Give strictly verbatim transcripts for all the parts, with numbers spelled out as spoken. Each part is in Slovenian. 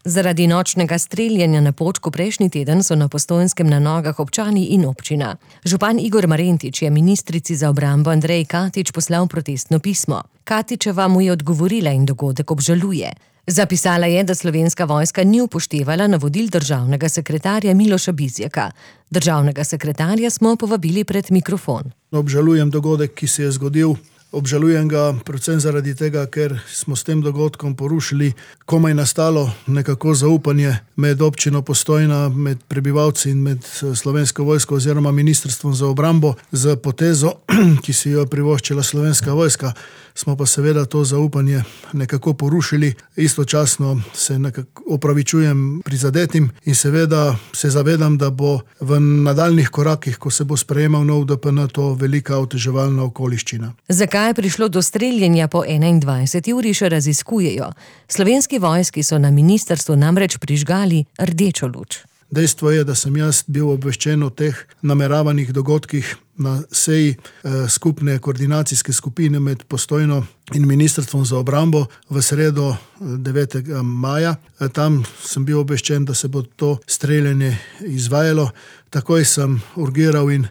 Zaradi nočnega streljanja na Počku prejšnji teden so na Postojnskem na nogah občani in občina. Župan Igor Marentič je ministrici za obrambo Andreji Katič poslal protestno pismo. Katičeva mu je odgovorila in dogodek obžaluje. Zapisala je, da Slovenska vojska ni upoštevala navodil državnega sekretarja Miloša Bizjaka. Državnega sekretarja smo povabili pred mikrofon. Obžalujem dogodek, ki se je zgodil. Obžalujem ga predvsem zaradi tega, ker smo s tem dogodkom porušili komaj nastalo nekako zaupanje med občino Postojna, med prebivalci in med Slovensko vojsko oziroma ministrstvom za obrambo. Z potezo, ki si jo privoščila Slovenska vojska, smo pa seveda to zaupanje nekako porušili. Istočasno se nekako opravičujem prizadetim in seveda se zavedam, da bo v nadaljnih korakih, ko se bo sprejemal nov D P N, to velika oteževalna okoliščina. Zakaj je prišlo do streljanja po enaindvajseti uri, še raziskujejo. Slovenski vojski so na ministrstvu namreč prižgali rdečo luč. Dejstvo je, da sem jaz bil obveščen o teh nameravanih dogodkih na seji eh, skupne koordinacijske skupine med Postojno in ministrstvom za obrambo v sredo devetega maja. E, tam sem bil obveščen, da se bo to streljanje izvajalo. Takoj sem urgiral in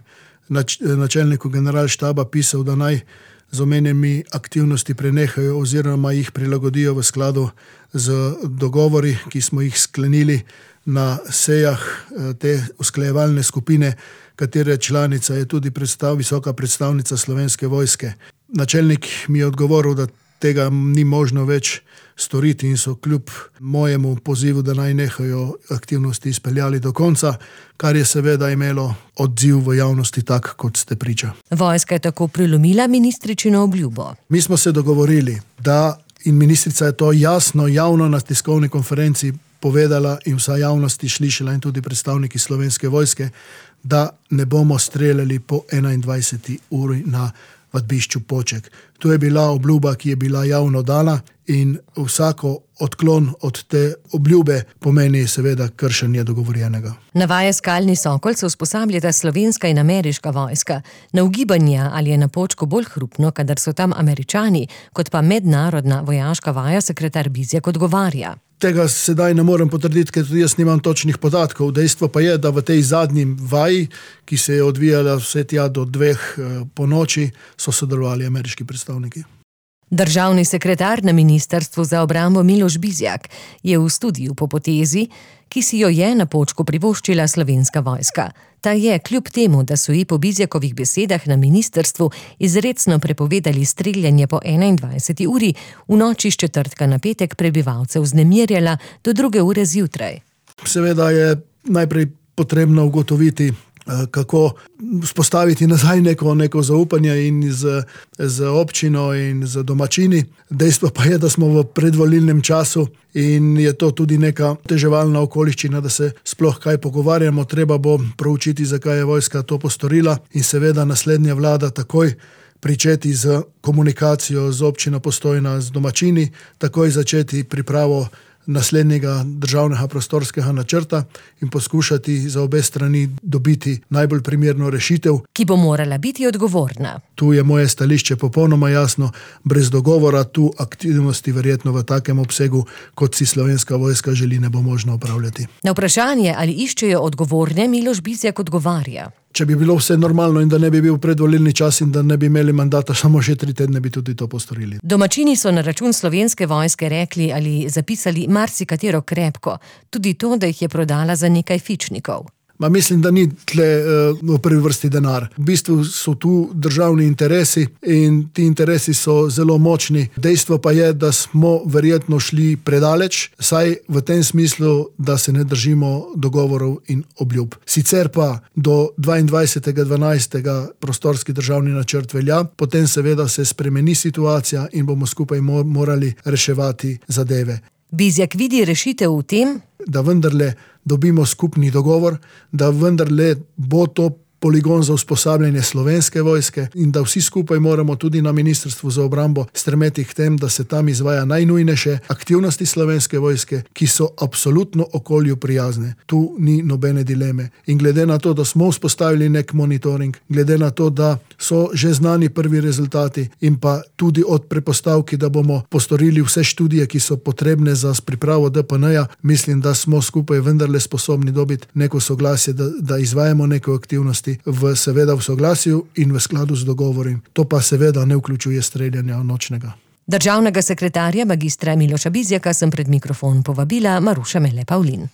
nač- načelniku generalštaba pisal, da naj z omenjenimi aktivnosti prenehajo oziroma jih prilagodijo v skladu z dogovori, ki smo jih sklenili na sejah te usklajevalne skupine, katere članica je tudi predstav, visoka predstavnica Slovenske vojske. Načelnik mi je odgovoril, da tega ni možno več storiti in so kljub mojemu pozivu, da naj nehajo aktivnosti, izpeljali do konca, kar je seveda imelo odziv v javnosti tak, kot ste priča. Vojska je tako prilomila ministričino obljubo. Mi smo se dogovorili, da in ministrica je to jasno, javno na tiskovni konferenci povedala in vsa javnosti slišala in tudi predstavniki Slovenske vojske, da ne bomo streljali po enaindvajseti uri na vadbišču Poček. To je bila obljuba, ki je bila javno dana in vsako odklon od te obljube pomeni seveda kršenje dogovorjenega. Navaja Skalni Sokol se usposabljata slovenska in ameriška vojska. Na ugibanja, ali je na Počku bolj hrupno, kadar so tam Američani, kot pa mednarodna vojaška vaja, sekretar Bizjak odgovarja. Tega sedaj ne morem potrditi, ker tudi jaz nimam točnih podatkov. Dejstvo pa je, da v tej zadnji vaji, ki se je odvijala vse tja do dveh po noči, so sodelovali ameriški predstavniki. Državni sekretar na ministrstvu za obrambo Miloš Bizjak je v studiu po potezi, ki si jo je na Počku privoščila Slovenska vojska. Ta je, kljub temu, da so ji po Bizjakovih besedah na ministrstvu izrecno prepovedali streljanje po enaindvajseti uri, v noči s četrtka na petek prebivalcev vznemirjala do druge ure zjutraj. Seveda je najprej potrebno ugotoviti, kako vzpostaviti nazaj neko, neko zaupanje in z, z občino in z domačini. Dejstvo pa je, da smo v predvolilnem času in je to tudi neka teževalna okoliščina, da se sploh kaj pogovarjamo. Treba bo proučiti, zakaj je vojska to postorila in seveda naslednja vlada takoj pričeti z komunikacijo z občino Postojna, z domačini, takoj začeti pripravo naslednjega državnega prostorskega načrta in poskušati za obe strani dobiti najbolj primerno rešitev, ki bo morala biti odgovorna. Tu je moje stališče popolnoma jasno, brez dogovora tu aktivnosti verjetno v takem obsegu, kot si Slovenska vojska želi, ne bo možno opravljati. Na vprašanje, ali iščejo odgovorne, Miloš Bizjak odgovarja. Če bi bilo vse normalno in da ne bi bil predvolilni čas in da ne bi imeli mandata samo še tri tedne, bi tudi to postorili. Domačini so na račun Slovenske vojske rekli ali zapisali marsikatero krepko, tudi to, da jih je prodala za nekaj fičnikov. Ma mislim, da ni tle uh, v prvi vrsti denar. V bistvu so tu državni interesi in ti interesi so zelo močni. Dejstvo pa je, da smo verjetno šli predaleč, saj v tem smislu, da se ne držimo dogovorov in obljub. Sicer pa do dvaindvajsetega dvanajstega prostorski državni načrt velja, potem seveda se spremeni situacija in bomo skupaj mo- morali reševati zadeve. Bizjak vidi rešitev v tem, da vendarle dobimo skupni dogovor, da vendarle bo to poligon za usposabljanje Slovenske vojske in da vsi skupaj moramo tudi na Ministrstvu za obrambo stremeti k tem, da se tam izvaja najnujnejše aktivnosti Slovenske vojske, ki so absolutno okolju prijazne. Tu ni nobene dileme. In glede na to, da smo vzpostavili nek monitoring, glede na to, da so že znani prvi rezultati in pa tudi od prepostavki, da bomo postorili vse študije, ki so potrebne za pripravo D P N-ja, mislim, da smo skupaj vendarle sposobni dobiti neko soglasje, da, da izvajamo neke aktivnosti v, seveda v soglasju in v skladu z dogovorim. To pa seveda ne vključuje streljanja nočnega. Državnega sekretarja magistra Miloša Bizjaka sem pred mikrofon povabila Maruša Mele Pavlin.